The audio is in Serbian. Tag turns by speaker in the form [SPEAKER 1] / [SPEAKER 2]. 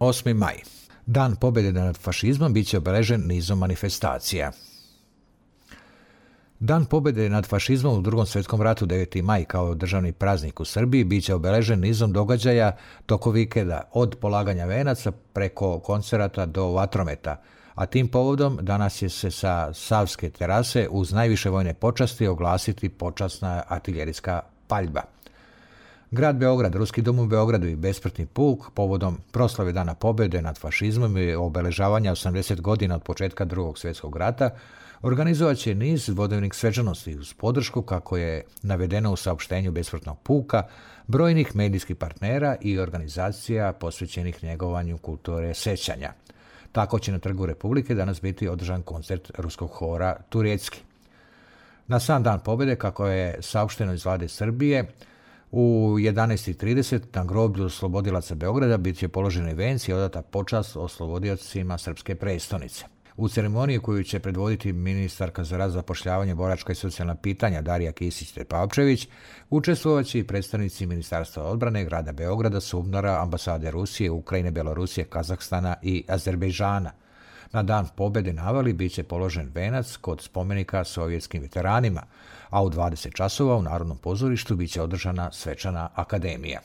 [SPEAKER 1] 8. maj. Dan pobjede nad fašizmom bit će obeležen nizom manifestacija. Dan pobjede nad fašizmom u Drugom svjetskom ratu 9. maj kao državni praznik u Srbiji bit će obeležen nizom događaja tokom vikenda, od polaganja venaca preko koncerata do vatrometa, a tim povodom danas će se sa Savske terase uz najviše vojne počasti oglasiti počasna artiljerijska paljba. Grad Beograd, Ruski dom u Beogradu i Besmrtni puk povodom proslave Dana pobjede nad fašizmom i obeležavanja 80 godina od početka Drugog svjetskog rata organizovat će niz dvodnevnih svečanosti uz podršku, kako je navedeno u saopštenju Besmrtnog puka, brojnih medijskih partnera i organizacija posvećenih njegovanju kulture sećanja. Tako će na Trgu Republike danas biti održan koncert ruskog hora Turecki. Na sam Dan pobjede, kako je saopšteno iz vlade Srbije, u 11:30 na groblju oslobodilaca Beograda bit će položeni venci i odata počast oslobodiocima srpske prestonice. U ceremoniji koju će predvoditi ministarka za rad, zapošljavanje, boračka i socijalna pitanja Darija Kisić-Tepavčević, učestvovat će i predstavnici Ministarstva odbrane, grada Beograda, SUBNOR-a, ambasade Rusije, Ukrajine, Belorusije, Kazahstana i Azerbejdžana. Na Dan pobjede na Avali bit će položen venac kod spomenika sovjetskim veteranima, a u 20 časova u Narodnom pozorištu bit će održana svečana akademija.